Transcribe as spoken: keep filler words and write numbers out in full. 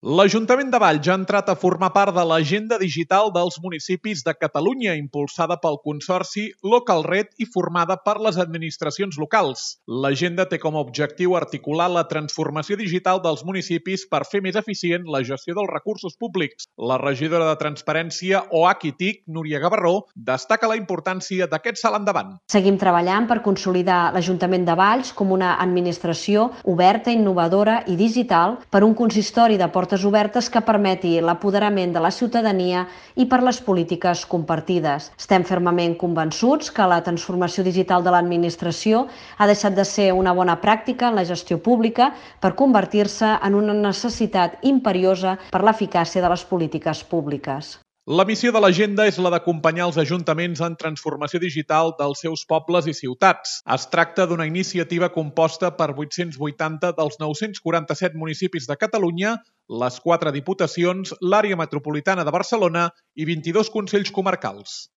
L'Ajuntament de Valls ha entrat a formar part de l'Agenda Digital dels Municipis de Catalunya, impulsada pel Consorci LocalRed i formada per les administracions locals. L'agenda té com a objectiu articular la transformació digital dels municipis per fer més eficient la gestió dels recursos públics. La regidora de Transparència O H I T I C, Núria Gavarró, destaca la importància d'aquest salt endavant. Seguim treballant per consolidar l'Ajuntament de Valls com una administració oberta, innovadora i digital per un consistori de portes obertes que permeti l'apoderament de la ciutadania i per les polítiques compartides. Estem fermament convençuts que la transformació digital de l'administració ha deixat de ser una bona pràctica en la gestió pública per convertir-se en una necessitat imperiosa per l'eficàcia de les polítiques públiques. La missió de l'agenda és la d'acompanyar els ajuntaments en transformació digital dels seus pobles i ciutats. Es tracta d'una iniciativa composta per vuit-cents vuitanta dels nou-cents quaranta-set municipis de Catalunya, les quatre diputacions, l'àrea metropolitana de Barcelona i vint-i-dos consells comarcals.